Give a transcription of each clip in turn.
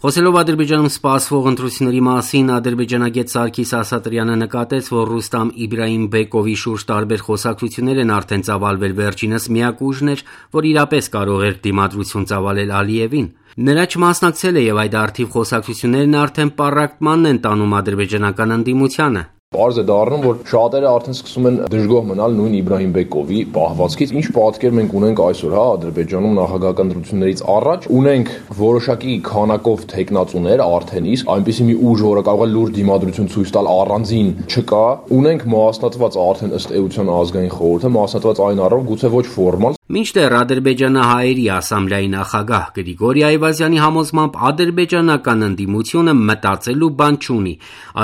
Խոսելով Ադրբեջանում սպասվող ընտրությունների մասին, ադրբեջանագետ Սարգիս Ասատրյանը նկատեց, որ Ռուստամ Իբրահիմբեկովի շուրջ տարբեր խոսակցություններ են արդեն ծավալվել, վերջինս միակ ուժն էր, որ իրապես կարող էր դիմադրություն ծավալել Ալիևին։ Նրա չմասնակցելը եւ այդ արդիվ խոսակցություններն արդեն պառակտմանն են տանում ադրբեջանական ընդդիմությանը։ Պարզ է դառնում, որ շատերը արդեն սկսում են դժգոհ մնալ նույն Իբրահիմբեկովի պահվածքից, ինչ պատկեր մենք ունենք այսօր, Ադրբեջանում նախագահական ընտրություններից առաջ ունենք որոշակի քանակով տեխնացուներ արդեն իսկ այնպիսի մի ուժ, որը կարող է լուրջ դիմադրություն ցույց տալ առանձին չկա, ունենք մասնատված արդեն ըստ էության ազգային խորհուրդը, մասնատված այն առով գուցե ոչ ֆորմալ։ Մինչդեռ Ադրբեջանահայերի ասամբլեայի նախագահ Գրիգորի Այվազյանի համոզմամբ ադրբեջանական ընդդիմությունը մտածելու բան չունի։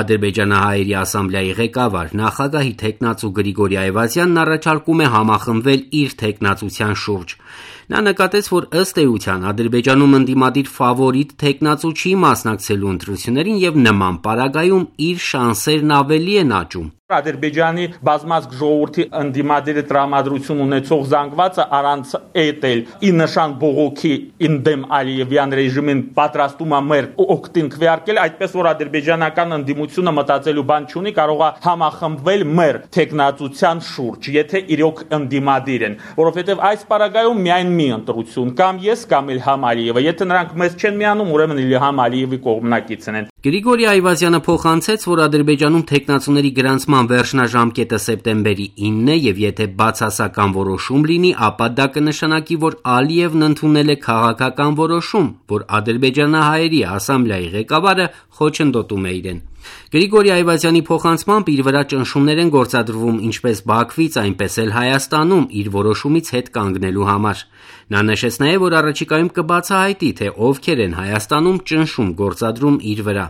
Ադրբեջանահայերի ասամբլեայի ղեկավար նախագահի տեխնացու Գրիգորի Այվազյանն առաջարկում է համախմբվել իր տեխնացության շուրջ։ Նա նկատեց, որ ըստ էության Ադրբեջանում ընդդիմադիր ֆավորիտ տեխնացու չի մասնակցելու ընտրություններին եւ նման պարագայում իր շանսերն ավելի են աճում։ Ադրբեջանի բազմազգ ժողովրդի ընդդիմադիրի տրամադրություն ունեցող զանգվածը առանց էտել ի նշան բողոքի ինդեմ Ալիևյան ռեժիմին պատրաստում է մեր օգտին քվեարկել, այդպես որ ադրբեջանական ընդդիմությունը մտածելու բան չունի, կարող է համախմբվել մեր տեխնացության շուրջ, եթե իրոք ընդդիմադիր են, որովհետեւ այս պարագայում միայն մի ընտրություն կամ ես կամ Իլհամ Ալիևը, եթե նրանք մեզ չեն միանում, ուրեմն Իլհամ Ալիևի կողմնակիցն են։ Գրիգորի Այվազյանը փոխանցեց, որ Ադրբեջանում տեխնացուների գրանցման վերջնաժամկետը սեպտեմբերի 9-ն է եւ եթե բացասական որոշում լինի, ապա դա կնշանակի, որ Ալիևն ընդունել է քաղաքական որոշում, որ ադրբեջանահայերի ասամբլեայի ղեկավարը խոչընդոտում է իրեն։ Գրիգորի Այվազյանի փոխանցմամբ իր վրա ճնշումներ են գործադրվում ինչպես Բաքվից, այնպես էլ Հայաստանում իր որոշումից հետ կանգնելու համար։ Նա նշեց նաև, որ առաջիկայում կբացահայտի, թե ովքեր են Հայաստանում ճնշում գործադրում իր վրա։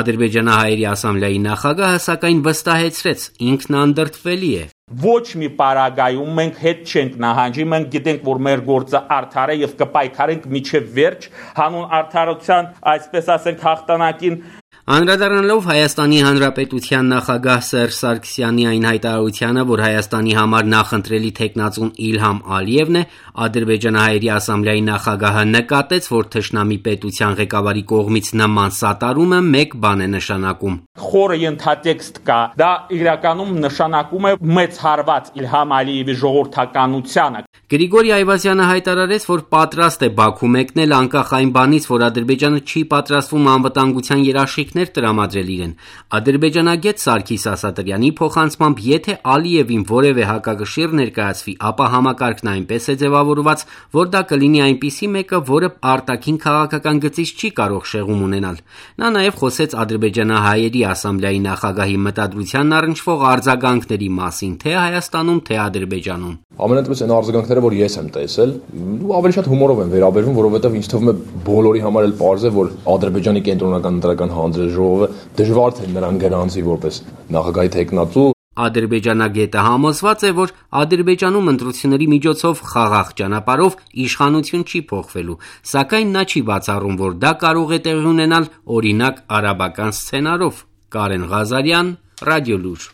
Ադրբեջանահայերի ասամբլեայի նախագահը սակայն վստահեցրեց, ինքն անդրդվելի է։ Ոչ մի պարագայում մենք հետ չենք նահանջի, մենք գիտենք, որ մեր գործը արդար է եւ կպայքարենք մինչեւ վերջ հանուն արդարության, այսպես ասենք, հաղթանակին։ Անդրադառնալով Հայաստանի Հանրապետության նախագահ Սերժ Սարգսյանի այն հայտարարությանը, որ Հայաստանի համար նախընտրելի տեխնացուն Իլհամ Ալիևն է, Ադրբեջանահայերի ասամբլեայի նախագահը նկատեց, որ թշնամի պետության ղեկավարի կողմից նման սատարումը մեկ բան է նշանակում։ Խորը ենթատեքստ կա, դա իրականում նշանակում է մեծ հարված Իլհամ Ալիևի ժողովրդականությանը։ Գրիգորի Այվազյանը հայտարարեց, որ պատրաստ է Բաքու մեկնել անկախ այն բանից, որ Ադրբեջանը չի պատրաստվում անվտանգության երաշխիքներ տրամադրել իրեն։ Ադրբեջանագետ Սարգիս Ասատրյանի փոխանցմամբ, եթե Ալիևին որևէ հակակշիռ ներկայացվի, ապա համակարգն այնպես է ձևավորված, որ դա կլինի այնպիսի մեկը, որը արտաքին քաղաքական գծից չի կարող շեղում ունենալ։ Նա նաև խոսեց ադրբեջանահայերի ասամբլեայի նախագահի մտադրությանն առնչվող արձագանքների մասին, թե Հայաստանում, թե Ադրբեջանում։ Ամենատես այն արձագանքները, որ ես եմ տեսել, ավելի շատ հումորով են վերաբերվում, որովհետև ինձ թվում է բոլորի համար էլ պարզ է, որ Ադրբեջանի կենտրոնական ընտրական հանձնաժողովը դժվար թե նրան գրանցի որպես նախագահի տեխնացու։ Ադրբեջանագետը համոզված է, որ Ադրբեջանում ընտրությունների միջոցով խաղաղ ճանապարհով իշխանություն չի փոխվելու, սակայն նա չի բացառում, որ դա կարող է տեղի ունենալ օրինակ արաբական սցենարով։ Կարեն Ղազարյան, Ռադիոլուր։